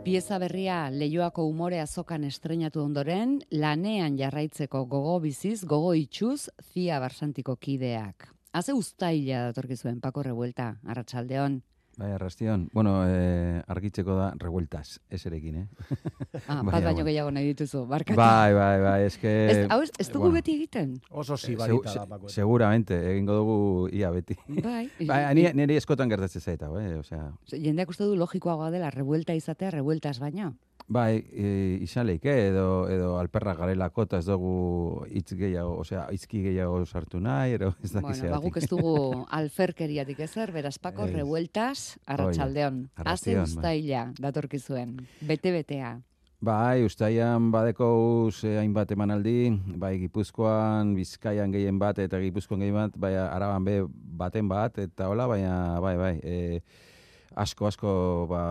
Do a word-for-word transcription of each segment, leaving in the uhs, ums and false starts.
Pieza berria Leioako umore azokan estreinatu ondoren, lanean jarraitzeko gogo biziz, gogo itxuz, Zia Barsantiko kideak. Haze uztaila datorkizuen, Pako Revuelta, arratsaldeon. Bai, arrastion. Bueno, eh, argitzeko da revueltas, ez erekin, eh? Ah, bat baino gehiago nahi dituzu, barkatu. Bai, bai, bai, eske... Ez, hau, ez dugu bueno, beti egiten? Oso zibarita da, Pako. Seguramente, egingo dugu ia beti. Bai. Bai, nire eskotan gertatzen zaita, eh? Osea... Jendeak uste du logikoagoa dela, revuelta izatea, revueltas baino. Bai, e, izan leik, eh? edo, edo alperra garelako, eta ez dugu hitz gehiago, osea, hitzki gehiago sartu nahi, ero ez dakiz Bueno, baguk ez dugu alferkeriatik ezer, beraz, Pako, es. Revueltas, arratsaldeon. Haze uztaila datorkizuen, bete-betea. Bai, ustaian badeko eh, hainbat emanaldi, bai Gipuzkoan, Bizkaian gehien bat, eta Gipuzkoan gehien bat, bai Araban be baten bat, eta hola, baina, bai, bai, e, asko, asko, ba,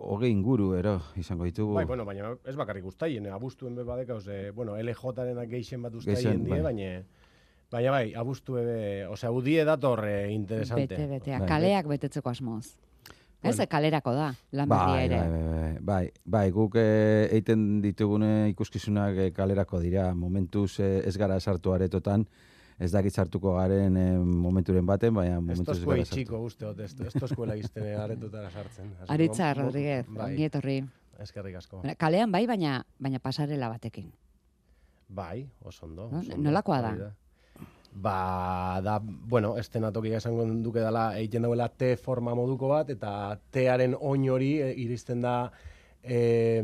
hogei inguru, ero, izango ditugu. Bai, bueno, baina ez bakarrik ustaien, abustuen be badeka, ose, bueno, L J-aren geixen bat ustaien die, bai. baina... Baina bai, abustu ebe, osea, udie dator eh, interesante. Bete, betea, bai. Kaleak betetzeko asmoz. Ez, bueno. Kalerako da, lan berria ere. Bai, bai, bai, bai, guk eh, eiten ditugune ikuskizunak eh, kalerako dira, momentuz eh, ez gara sartu aretotan, ez dakit sartuko garen eh, momenturen baten, baina momentuz ez gara sartu. Esto uste dut, esto eskuela izten aretutara sartzen. Aritza, Rodríguez, ongi etorri. Eskerrik asko. Kalean bai, baina, baina pasarela batekin. Bai, oso ondo. No? Nolakoa da? Ba, da, bueno, estenatokia esango duke dela, egiten dauela T forma moduko bat, eta T-aren oin hori e, iristen da e,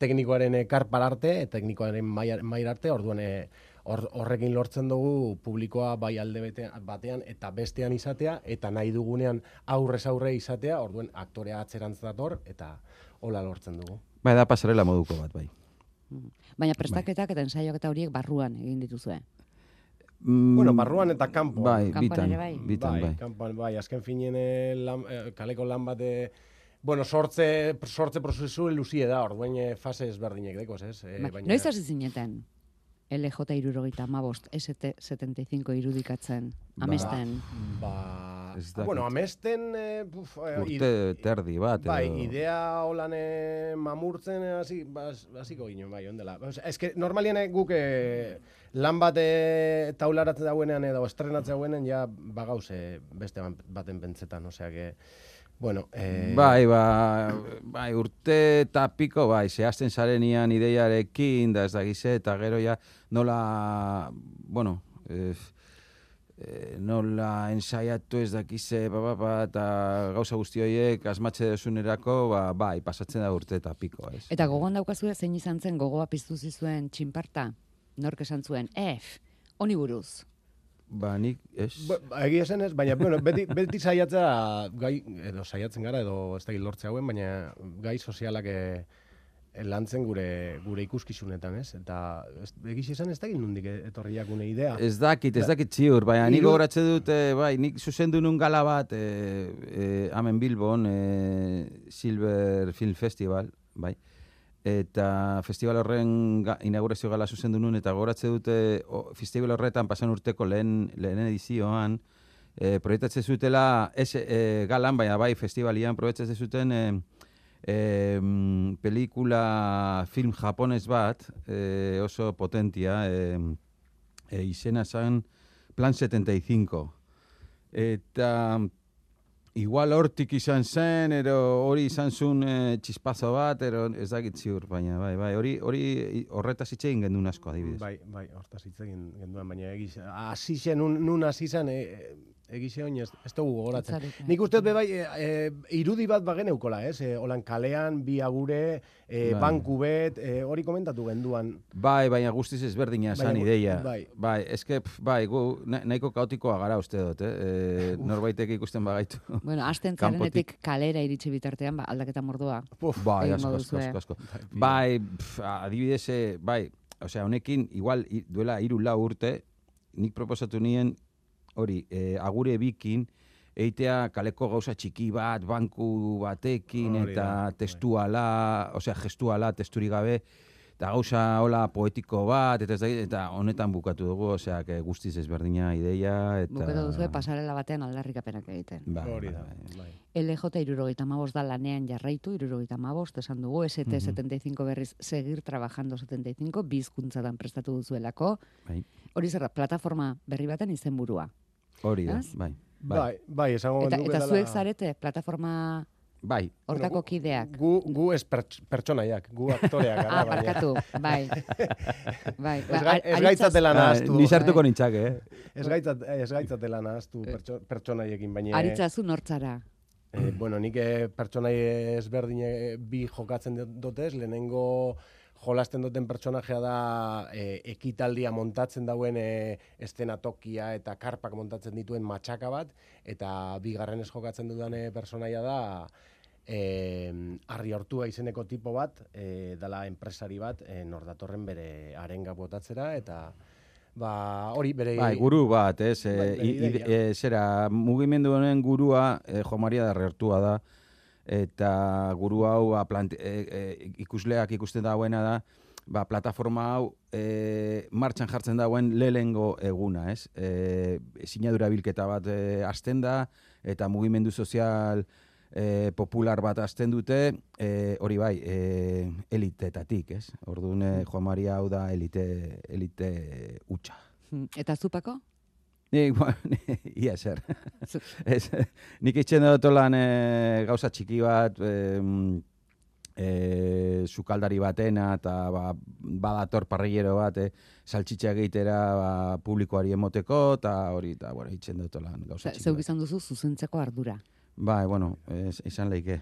teknikoaren karpar arte, teknikoaren mair arte, orduan e, or, horrekin lortzen dugu publikoa bai alde batean eta bestean izatea, eta nahi dugunean aurrez aurre izatea, orduan aktorea atzerantz dator, eta hola lortzen dugu. Bai, da pasarela moduko bat, bai. Baina prestaketak eta ensaiok eta horiek barruan egin dituzue. Mm, bueno, barruan eta kanpo. Bai, bitan, bai. bitan, bai. Kanpoan, bai, azken finen lan, kaleko lan bat, bueno, sortze, sortze prozesu luzie da, orduan fase ezberdinek dekoz, ez? E, ba, baina... Noiz hasi zineten? L J hirurogeita hamabost, S T setenta y cinco irudikatzen, amesten. Ba, ba bueno, amesten... Eh, uf, urte terdi bat. Bai, edo... idea holan eh, mamurtzen, hasi, hasiko ginen, bai, ondela. Ez que, normalien guk eh, lan bat eh, taularatzen dauenean edo estrenatzen dauenean, ja bagauz eh, beste baten pentsetan, osea que... Bueno, eh... Bai, ba, bai, urte eta piko, bai, zehazten zarenian ideiarekin, da ez dakize, eta gero ja nola, bueno, eh, eh, nola ensaiatu ez dakize, ba, ba, ba, eta gauza guzti horiek asmatxe desunerako, ba, bai, pasatzen da urte eta piko, ez. Eta gogoan daukazu zein izan zen gogoa piztu zizuen txinparta? Nork esan zuen, F, honi buruz. Ba, nik, ez? Ba, egia zen ez, baina, bueno, beti, beti saiatzea, gai, edo saiatzen gara, edo ez da lortze hauen, baina gai sozialak e, lantzen gure gure ikuskizunetan, ez? Eta egiz esan ez da nondik etorriak une idea. Ez dakit, ez dakit ziur, baina nik gogoratze dut, e, bai, nik zuzendu nun gala bat, e, e, hemen Bilbon, e, Silver Film Festival, bai, eta festival horren inaugurazio gala zuzendu nun, eta gogoratze dute o, festival horretan pasan urteko lehen, lehen edizioan, e, proiektatzen zutela, ez e, galan, baina bai festivalian proiektatzen zuten e, e, pelikula film japonez bat, e, oso potentia, e, e, izena zen Plan setenta y cinco. Eta... Igual hortik izan zen, ero hori izan zuen e, txispazo bat, ero ez dakit ziur, baina bai, bai, hori hori horretaz hitz egin gendun asko adibidez. Bai, bai, horretaz hitz egin genduan, baina egiz, hasi zen, nun, nun hasi zen, e, egize oin ez, ez dugu gogoratzen. Nik uste dut bai, e, e, irudi bat bagen eukola, ez? E, Olan kalean, bi agure, e, bai. Banku bet, e, hori komentatu genduan. Bai, baina guztiz ezberdina zan ideia. Bai, bai eske, bai, gu nahiko kaotikoa gara uste dut, eh? E, norbaitek ikusten bagaitu. Bueno, hasten zarenetik kalera iritsi bitartean, ba, aldaketa mordua. Bai, asko, asko, asko, asko. Bai, pf, adibidez, bai, osea, honekin, igual, duela hiru lau urte, nik proposatu nien, hori, eh, agure bikin, eitea kaleko gauza txiki bat, banku batekin, eta testuala, osea, gestuala, testuri gabe, eta gauza hola poetiko bat, eta, ez da, eta honetan bukatu dugu, osea, guztiz ezberdina ideia. Eta... Bukatu duzu, pasarela batean aldarrikapenak egiten. Ba, Hori da, bai. L J irurogeita hamabost da lanean jarraitu, irurogeita hamabost, esan dugu, S T setenta y cinco berriz seguir trabajando setenta y cinco, bizkuntzatan prestatu duzuelako. Bai. Hori zer da, plataforma berri baten izenburua. Hori da, bai. Bai, bai, esango Eta, genuke eta dela- zuek zarete, plataforma Bai. hortako Bueno, gu- kideak. Gu, gu ez perts- pertsonaiak, gu aktoreak gara. Ah, baina- barkatu, bai. bai. Ez, gai, ba, ez aritzaz- gaitzatela Ah, nahaztu. ni sartuko nintzake, eh? Ez gaitzat, ez gaitzatela nahaztu pertso, pertsonaiekin, baina... Aritzazu nortzara. Eh, bueno, nik eh, pertsonai ezberdine bi jokatzen dutez, lehenengo jolasten duten pertsonajea da eh, ekitaldia montatzen dauen eh, eszenatokia eta karpak montatzen dituen matxaka bat, eta bigarrenez jokatzen dudan eh, pertsonaia da eh, Arri Hortua izeneko tipo bat, eh, dala enpresari bat, eh, nor datorren bere arenga botatzera, eta ba, hori bere... Bai, guru bat, ez? Bai, Eh, bere i- i- ideia. eh, zera, mugimendu honen gurua eh, Jo Maria da Arrertua da, eta guru hau ba, plant, eh, eh, ikusleak ikusten dauena da, ba, plataforma hau eh, martxan jartzen dauen lehengo eguna, ez? Eh, sinadura bilketa bat eh, hasten da, eta mugimendu sozial eh, popular bat hasten dute, eh, hori bai, eh, elitetatik, ez? Orduan, eh, Jo Maria hau da elite, elite hutsa. Eta zupako? Nik, bueno, ia zer. Zu- Ez, nik itxen dut lan e, gauza txiki bat, e, e, sukaldari batena, eta ba, badator parrillero bat, e, saltxitxa egitera ba, publikoari emoteko, eta hori, eta bueno, itxen dut lan gauza txiki Zeuk bat. izan duzu zuzentzeko ardura. Bai, bueno, ez, izan leike.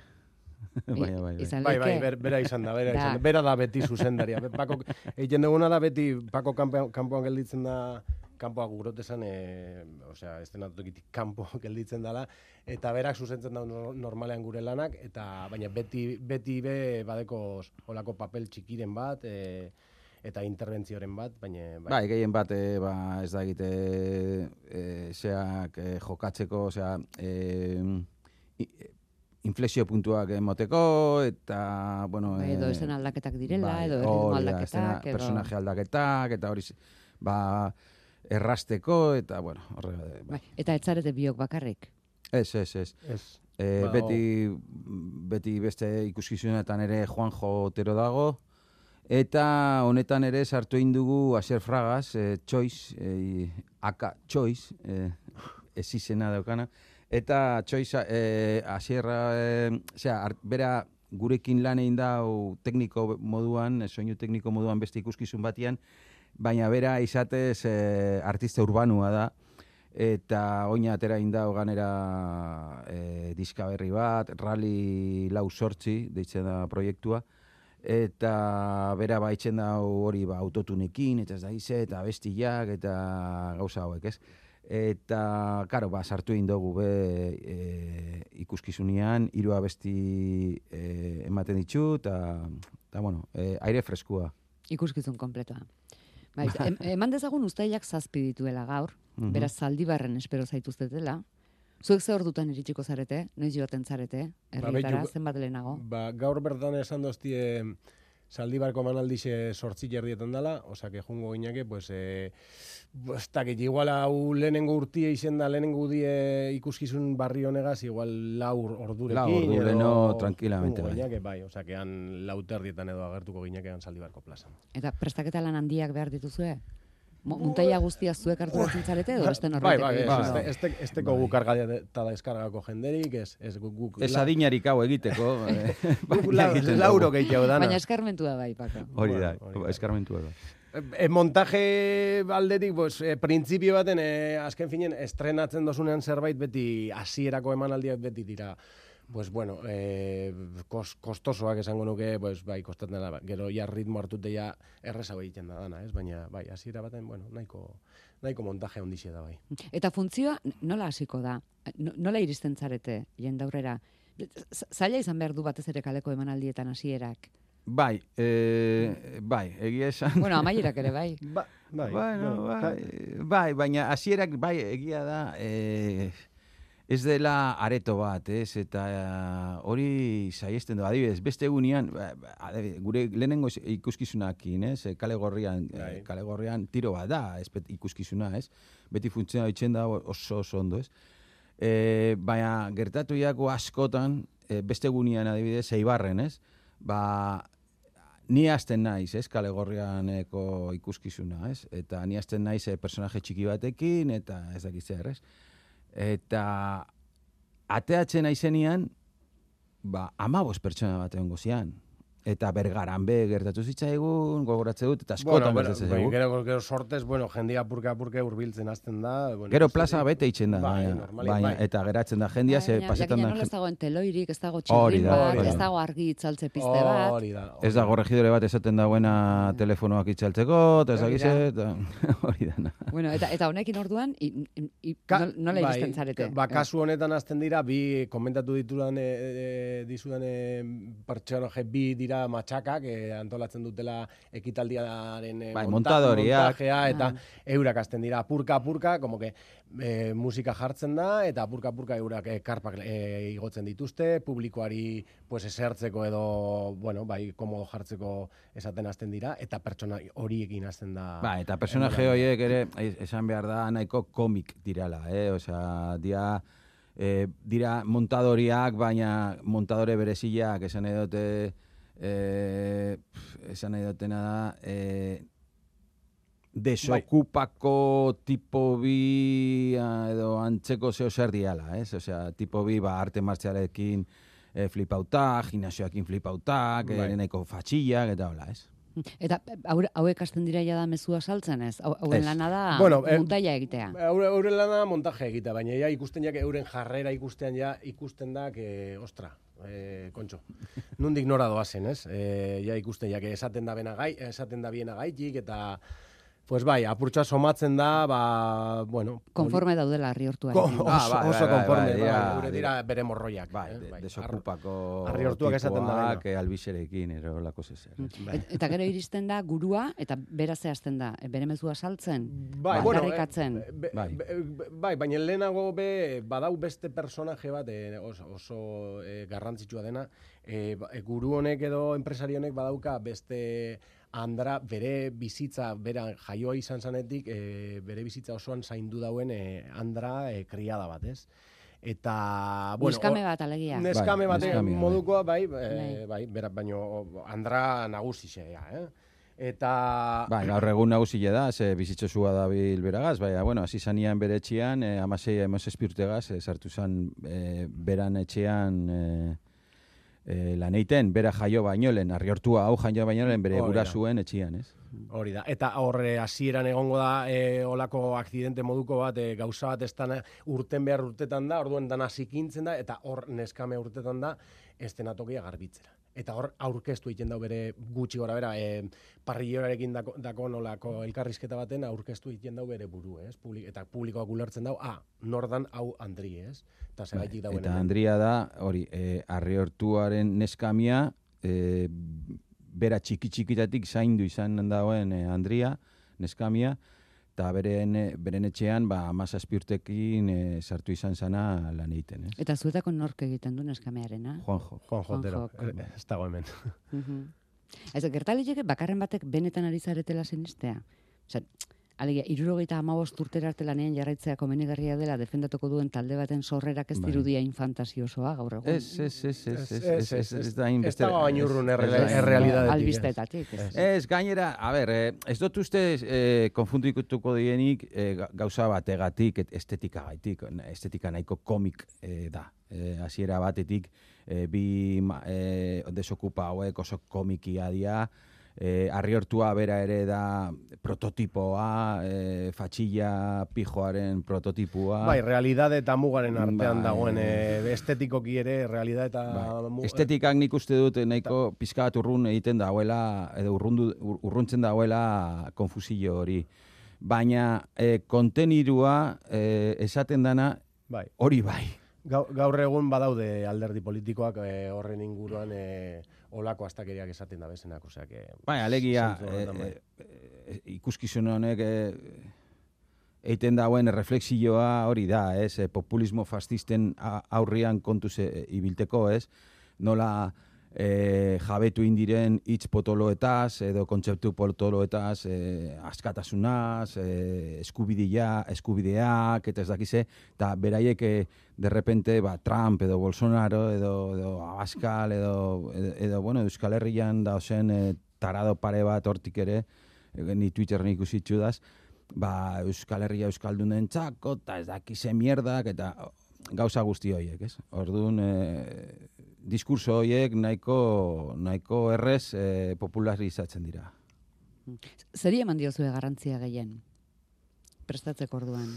bai, bai, bai. Izan Bai, bai, leike? ber, bera izan da, bera Da. izan da. Bera da beti zuzendaria. Be- Pako, egiten duguna da beti, Pako kanpoan, kanpoan gelditzen da, kanpoak gurotesan, e, osea, eszenatokitik kanpo gelditzen dela, eta berak zuzentzen da no- normalean gure lanak, eta baina beti, beti be badeko olako papel txikiren bat, e, eta interbentzioren bat, baina... Bai, gehien bat, e, ba, ez da egite, e, zeak e, jokatzeko, osea, e, i- inflexio puntuak emoteko, eta, bueno... Bai, edo e, esen aldaketak direla, bai, edo erritmo hori da, aldaketak, eszena- edo... personaje aldaketak, eta hori, ba, errasteko, eta, bueno, horrega, Bai. bai. Eta etzarete biok bakarrik. Ez, ez, ez. Ez. E, Ba, beti, beti beste ikuskizunetan ere Juanjo Otero dago, eta honetan ere sartu egin dugu Asier Fragas, e, Choice, e, aka Choice, e, ez izena daukana, eta Choice e, Asierra, e, osea, art- bera gurekin lan egin dau tekniko moduan, e, soinu tekniko moduan beste ikuskizun batian, baina bera izatez e, artista urbanua da, eta oina atera indau ganera e, diska berri bat, Rally lau sortzi, deitzen da proiektua, eta bera baitzen da hori ba, autotunekin, eta ez da ize, eta bestiak, eta gauza hauek, ez? Eta, karo, ba, sartu egin dugu be e, ikuskizunean, hiru abesti e, ematen ditu, eta, eta bueno, e, aire freskua. Ikuskizun kompletoa. Bai, em, eman dezagun uztailak zazpi dituela gaur, Mhm. beraz Zaldibarren espero zaituztetela. Zuek ze ordutan iritsiko zarete, noiz joaten zarete, herrietara, beitu- zenbat lehenago? Ba, gaur bertan esan doztie Zaldibarko emanaldixe sortzi jerdietan dela, osake jungo gineke, pues, e, ez dakit, igual hau lehenengo urtie izen da, lehenengo die ikuskizun barri honegaz, igual lau ordurekin. Lau ordu edo leheno, tranquilamente, jungo bai. gineke, bai, osakean lau terdietan edo agertuko ginekean Zaldibarko plazan. Eta prestaketa lan handiak behar dituzue? Mo- Muntaia guztia zuek hartu batzen zarete, edo beste Bai, norbaitek bai, ez, egiten du? ez, ez, ez teko Bai. guk karga eta deskargako jenderik, ez, ez guk, guk Ez la- adinarik hau egiteko, eh, guk baina la- egiten lauro dugu. gehiago dana. Baina eskarmentua bai, Pako. Hori da, Bueno, hori da. eskarmentua da. E, montaje aldetik, pues, e, printzipio baten, e, azken finen, estrenatzen dozunean zerbait beti, hasierako emanaldiak beti dira, pues, bueno, e, kos, kostosoak esango nuke, pues, bai, kostatzen dela, gero ja ritmo hartute ja errezago egiten da dana, ez? Baina, bai, hasiera baten, bueno, nahiko, nahiko montaje ondixe da, bai. Eta funtzioa nola hasiko da? No- Nola iristen zarete, jendaurrera? Z- Zaila izan behar du batez ere kaleko emanaldietan hasierak. Bai, e, bai, egia esan. Bueno, amaierak ere bai. Ba, bai, Bueno, bueno, bai, bai, baina hasierak bai egia da, e, ez dela areto bat, ez, eta uh, hori saiesten du, adibidez, beste egunean, adibidez, gure lehenengo ikuskizunakin, ez, kale gorrian, Bai. kale gorrian tiro bat da, ez, ikuskizuna, ez, beti funtzioa itxen da oso oso ondo, ez. E, baina gertatu jako askotan, e, beste egunean adibidez, Eibarren, ez, ba, ni hasten naiz, ez, kale gorrianeko ikuskizuna, ez, eta ni hasten naiz e, personaje txiki batekin, eta ez dakit zer, ez. Eta ateatzen aizenean, ba, amabost pertsona bat egon gozian. Eta Bergaran be gertatu zitzaigun, gogoratze dut, eta askotan bueno, gertatzen bueno, zaigu. gero, gero sortez, bueno, jendia purka-purka urbiltzen hasten da. Bueno, Gero plaza bete itzen da, bai, baina, normalik, baina, bai. eta geratzen da jendia, ze pasetan Jakina da... nola ez dagoen teloirik, ez dago Hori txirrin da, bat, hori da. ez dago argi itzaltze piste bat. Hori da. Ez dago regidore bat esaten dagoena telefonoak itxaltzeko, eta ez Hori dakize, da. eta hori da. Bueno, eta, eta honekin orduan, i, i, i, Ka- nol- nola bai, iristen zarete? Ba, kasu honetan hasten dira, bi komentatu ditudan, e, e, dizudan e, pertsonaje bi dira matxakak, e, antolatzen dutela ekitaldiaren e, Bai, monta- montadoriak. montajea, eta Ah. eurak hasten dira purka-purka, como que e, musika jartzen da, eta purka-purka eurak e, karpak e, igotzen dituzte, publikoari pues, esertzeko edo, bueno, bai, komodo jartzeko esaten hasten dira, eta pertsona horiekin hasten da. Ba, eta personaje horiek ere, esan behar da, nahiko komik dirala, eh? Osea, dia, eh, dira montadoriak, baina montadore bereziak, esan nahi dute, eh, esan nahi dutena da, eh, desokupako tipo bi ah, edo antzeko zeo zer diala, ez? Osea, tipo bi, ba, arte martzialekin eh, flipautak, gimnasioakin flipautak, Bai. eh, nahiko fatxillak, eta hola, ez? Eta haure- hauek hasten dira ja da mezua saltzen ez? Hau- Hauen Ez. lana da Bueno, eh, muntaia egitea. Eure, euren lana montaje egitea, baina ja ikusten jak euren jarrera ikustean ja ikusten da que ostra, eh, kontxo. Nundik nora doazen, ez? Eh, ja ikusten jak esaten da bena gai, esaten da biena gaitik eta pues bai, apurtxoa somatzen da, ba, bueno, Konforme daudela harri Ko- hortuarekin. oso, Ah, bai, oso bai, bai, konforme, bai, bai, ja, gure dira bere morroiak. Bai, eh, de, bai. desokupako Harri hortuak esaten da tipoak, dena. eh, albizerekin, ero lako zezer. Bai. Et- Eta gero iristen da gurua, eta beraz zehazten da, e, bere mezua saltzen, Bai, ba, bueno, aldarrikatzen. eh, be- Bai. be- be- bai, baina lehenago be, badau beste personaje bat eh, oso, oso eh, garrantzitsua dena, eh, ba- eh, guru honek edo enpresari honek badauka beste Andra bere bizitza, bera jaioa izan zanetik, eh, bere bizitza osoan zaindu dauen eh, Andra eh, kriada bat, ez? Eta, bueno... Neskame hor- bat alegia. Neskame Bai, bate neskamea, bai. modukoa, bai, eh, Bai. bai, berak baino Andra nagusixea, eh? Eta... Bai, gaur egun nagusia da, ze bizitzosua da bil beragaz, baina, bueno, hasi zanian bere etxean, eh, amasei emozezpi urtegaz, eh, sartu zan eh, beran etxean eh, eh, lan eiten, bera jaio baino lehen, arriortua hau jaio baino lehen, bere Hori da. gurasuen etxean, ez? Hori da. Eta horre hasieran egongo da e, olako akzidente moduko bat, e, gauza bat ez dana urten behar urtetan da, orduan dana zikintzen da, eta hor neskame urtetan da, estenatokia garbitzera. Eta hor aurkeztu egiten dau bere gutxi gora bera, e, parrillorarekin dako, dako nolako elkarrizketa baten aurkeztu egiten dau bere buru, ez? Publik, eta publikoak ulertzen dau, ah, nordan hau Andri, ez? Eta zeraitik dauen Eta hemen. Andria da, hori, eh, arriortuaren neskamia, eh, bera txiki-txikitatik zaindu izan dagoen eh, Andria, neskamia, eta beren, eh, beren etxean, ba, amazazpi urtekin eh, sartu izan zana lan egiten, ez? Eta zuetako nork egiten du neskamearena? Juanjo. Juan Jotero, Juanjok. eh, ez dago hemen. Mhm. Ez, gertaliteke bakarren batek benetan ari zaretela sinistea. Osea, alegia, irurogeita hamabost urtera arte lanean jarraitzea komenigarria dela defendatuko duen talde baten sorrerak ez Bai. dirudia infantasiosoa gaur egun. Ez, ez, ez, ez, ez, Ez, ez, ez, ez da hainbeste- ez dago hain urrun ez- erreal- ez da hain- errealitatetik, Albistetatik. Ez. Ez, gainera, a ber, eh, ez dut uste eh, konfundituko dienik eh, ga- gauza bategatik, et- estetika gaitik, estetika nahiko komik eh, da. Eh, hasiera batetik, eh, bi ma- eh, desokupa hauek oso komikia dia, eh, arriortua bera ere da prototipoa, eh, fatxilla pijoaren prototipua. Bai, realidade eta mugaren artean Bai. dagoen e, estetikoki ere realidade eta Bai. mu- Estetikak nik uste dut nahiko pizka bat urrun egiten dauela, edo urrundu, ur- urruntzen dauela konfusio hori. Baina eh, kontenidua eh, esaten dana bai. hori bai. Gau- Gaur egun badaude alderdi politikoak e, horren inguruan e, olako astakeriak esaten da bezenak, osea que Bai, alegia, zentzu horretan, bai. eh, eh, ikuskizun honek eh, eiten dauen reflexioa hori da, ez? E, populismo fascisten aurrian kontuz e, ibilteko, ez? Nola e, jabetu indiren hitz potoloetaz, edo kontzeptu potoloetaz, e, askatasunaz, e, eskubidia, eskubideak, eta ez dakize, eta beraiek e, derrepente, ba, Trump edo Bolsonaro edo, edo Abascal edo, edo, edo, bueno, Euskal Herrian da ozen e, tarado pare bat hortik ere, e, ni Twitterren ikusitzu daz, ba, Euskal Herria Euskaldunen txako, eta ez dakize mierdak, eta gauza guzti horiek, ez? Orduan, e, diskurso horiek nahiko, nahiko errez e, popularizatzen dira. Zeri eman diozue garrantzia gehien? Prestatzeko orduan?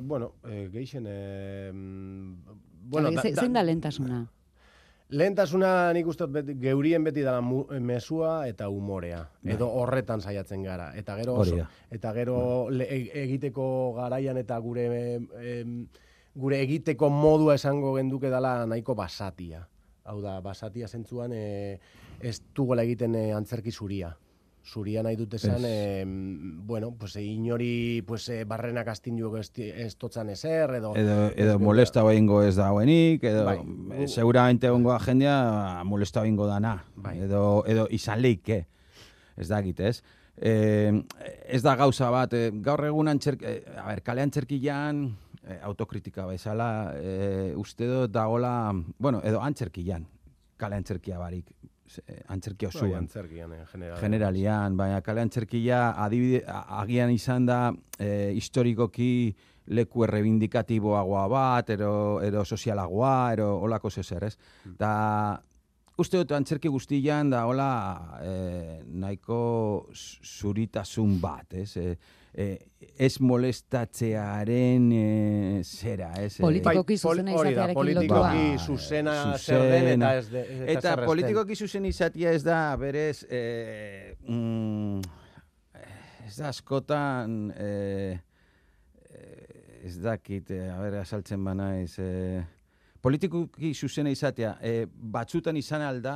Bueno, eh, geixen... Eh, bueno, Hala, zein da lehentasuna? Lehentasuna nik uste beti, geurien beti dela mu, mesua eta umorea. Edo horretan saiatzen gara. Eta gero, oso, eta gero le, egiteko garaian eta gure... Eh, gure egiteko modua esango genduke dela nahiko basatia. Hau da, basatia zentzuan e, ez dugola egiten e, antzerki zuria. Zuria nahi dut esan, e, bueno, pues, inori pues, e, barrenak astinduko ez, ez totzan ezer, edo... Edo, edo molesta behingo ez dagoenik, edo bai, e, seguramente ongo agendia molesta behingo dana. Bai. Edo, edo izan leike, ez dakit, ez? Eh, ez da gauza bat, eh, gaur egun antzerki, eh, a ber, kale antzerkian, eh, autokritika bezala, eh, uste dut dagola, bueno, edo antzerkian, kale antzerkia barik, eh, antzerkia osoan. Bai, antzerkian, en general. Generalian, baina kale antzerkia adibide, agian izan da eh, historikoki leku errebindikatiboagoa bat, ero, ero sozialagoa, ero olako zezer, ez? Mm. Da, uste dut antzerki guztian da hola eh, nahiko zuritasun bat, ez? Eh, eh, ez molestatzearen eh, zera, ez? Politikoki zuzena izatearekin lotua. Politikoki zuzena zer den eta ez de, eta, eta politikoki zuzen izatea ez da berez eh, mm, ez da askotan eh, ez dakit, eh, a ber, asaltzen banaiz, eh, politikoki zuzena izatea, e, batzutan izan alda,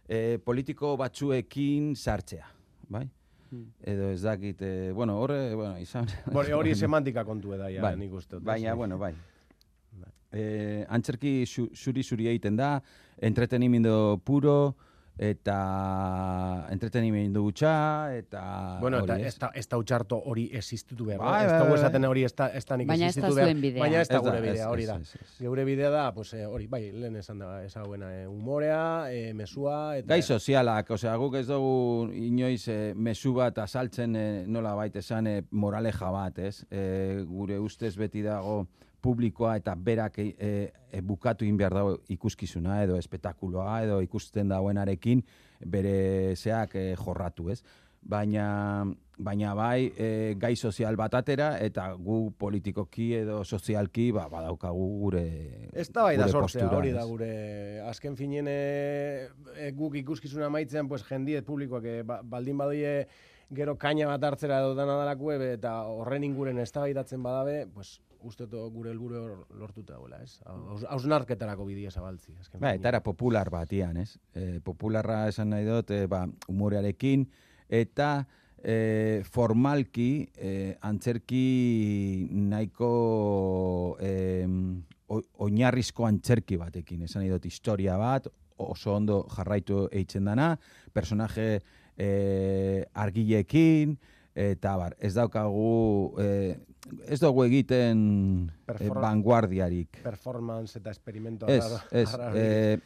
e, politiko batzuekin sartzea, bai? Hmm. Edo ez dakit, e, bueno, horre, bueno, izan... Hori semantika kontu eda, ja, bai, nik uste. Baina, bueno, bai. E, antzerki zuri-zuri egiten da, entretenimendu puro, eta entretenimendu gutxa, eta... Bueno, eta ez da, ez da utxarto hori existitu behar. Ba, ez da esaten hori ez da, ez da nik baina existitu behar. Bidea. Baina ez da gure bidea, hori da. Geure bidea da, pues, hori, bai, lehen esan da, ezaguena, eh, humorea, eh, mesua... Eta... Gai sozialak, osea, guk ez dugu inoiz eh, mesu bat azaltzen eh, nola baita esan eh, moraleja bat, ez? Eh, gure ustez beti dago publikoa eta berak e, e, bukatu in behar dago ikuskizuna edo espetakuloa edo ikusten dauenarekin bere zeak e, jorratu, ez? Baina, baina bai e, gai sozial bat atera eta gu politikoki edo sozialki ba, badaukagu gure ez da bai da sortzea, postura, hori da gure azken finien e, e, guk ikuskizuna maitzean pues, jendiet publikoak e, ba, baldin badoie gero kaina bat hartzera edo dana dalako eta horren inguren eztabaidatzen badabe, pues, uste gure helburu lortuta dagoela, ez? Hausnarketarako bidea zabaltzi. Ba, eta era popular batian, ez? E, popularra esan nahi dut, e, ba, humorearekin, eta e, formalki e, antzerki nahiko e, oinarrizko antzerki batekin, esan nahi dut historia bat, oso ondo jarraitu eitzen dana, personaje e, argileekin, eta bar, ez daukagu, eh, ez dugu egiten eh, vanguardiarik. Performance eta experimento. Ez, ez. Eh,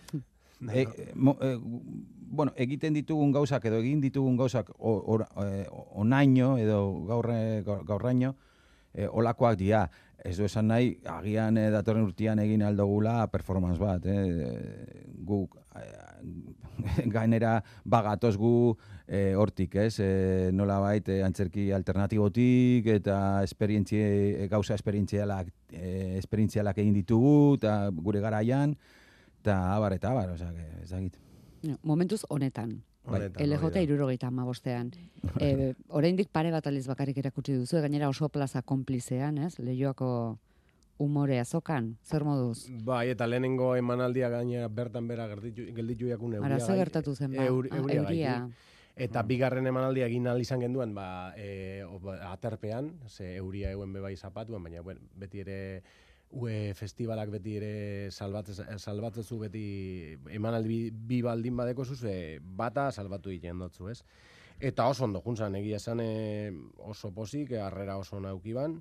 e, mo, e, bueno, egiten ditugun gauzak edo egin ditugun gauzak onaino edo gaurre, gaurraino e, olakoak dira. Ez du esan nahi, agian e, datorren urtean egin aldogula performance bat. Eh? Guk e, gainera bagatoz gu E, hortik, ez, e, nola bait, e, antzerki alternatibotik eta esperientzie, gauza esperientzialak, e, esperientzialak egin ditugu, eta gure garaian, eta abar, eta abar, oza, ez dakit. Momentuz honetan. L J hirurogeita hamabostean. E, oraindik pare bat aldiz bakarrik erakutsi duzu, gainera oso plaza konplizean, ez, Leioako umore azokan, zer moduz? Bai, eta lehenengo emanaldia gainera bertan bera gelditu jakun euria. Ara, ze gertatu zen ba? Eur, euria, euria. Eta bigarren emanaldia egin ahal izan genduen, ba, e, aterpean, ze euria euen bebai zapatuan, baina bueno, beti ere ue festivalak beti ere salbatzezu beti emanaldi bi baldin badeko zuz, e, bata salbatu egiten dutzu, ez? Eta oso ondo juntzan, egia esan e, oso posik, harrera oso naukiban,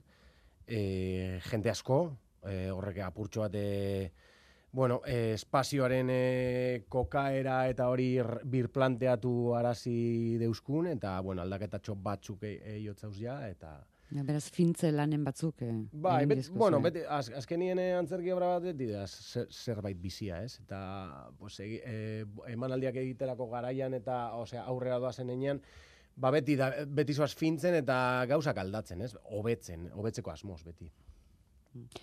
e, jente asko, e, horrek apurtxo bat, e, bueno, e, espazioaren e, kokaera eta hori birplanteatu arazi deuskun, eta bueno, aldaketatxo batzuk eiotzauz ja, eta... Ja, beraz, fintze lanen batzuk. Eh, bai, bet, bueno, beti, az, azkenien antzerki obra bat beti da zer, zerbait bizia, ez? Eta pues, e, e, emanaldiak egiterako garaian eta osea, aurrera doazen enean, ba beti, da, beti zoaz fintzen eta gauzak aldatzen, ez? Hobetzen, hobetzeko asmoz beti.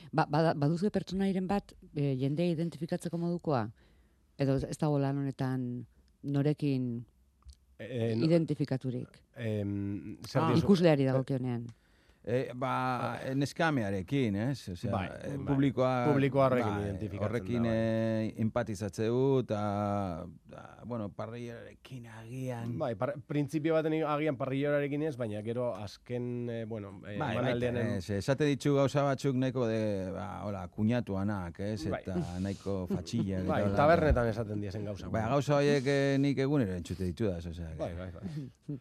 Ba, ba, baduzue pertsonairen bat e, jendea identifikatzeko modukoa? Edo ez dago lan honetan norekin e, no, identifikaturik? E, ah, ikusleari dagokionean. E, ba, neskamearekin, ez? Osea, bai, e, publikoa, publikoa horrekin ba, identifikatzen horrekin da. Bai. E, empatizatzeu, eta, bueno, parrillarekin agian... Bai, par, printzipio baten agian parrillarekin ez, baina gero azken, e, bueno, e, bai, manaldean... Bai, ez, esate ditzu gauza batzuk nahiko de, ba, hola, kuñatuanak, ez? Bai. Eta nahiko fatxilla. Bai, eta, tabernetan esaten diazen gauza. Bai, gauza horiek eh, nik egunero entzute ditu da, osea. Bai, bai, bai.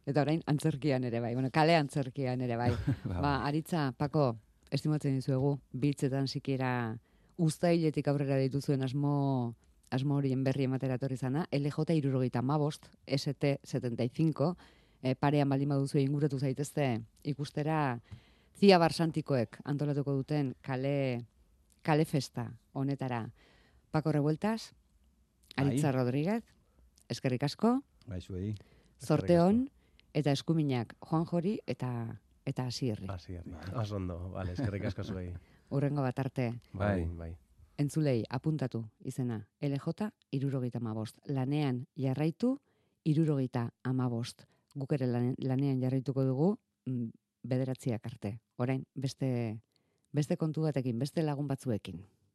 Eta orain antzerkian ere bai, bueno, kale antzerkian ere bai. Ba, Aritza, Pako, estimatzen dizuegu, biltzetan sikiera uztailetik aurrera dituzuen asmo, asmo horien berri ematera etorri zana, L J hirurogeita hamabost, S T setenta y cinco, eh, parean baldin baduzu inguratu zaitezte ikustera Zia Barsantikoek antolatuko duten kale, kale festa honetara. Pako Revueltas, Aritza Ai. Rodríguez, eskerrik asko, bai, zuei. Zorte hon, eta eskuminak Juan Jori eta eta Asierri. Asierri. Oso ondo, vale, eskerrik asko zuei. Urrengo bat arte. Bai, bai. Entzulei, apuntatu izena. L J hirurogeita hamabost. Lanean jarraitu hirurogeita hamabost. Guk ere lanean jarraituko dugu bederatziak arte. Orain, beste, beste kontu batekin, beste lagun batzuekin.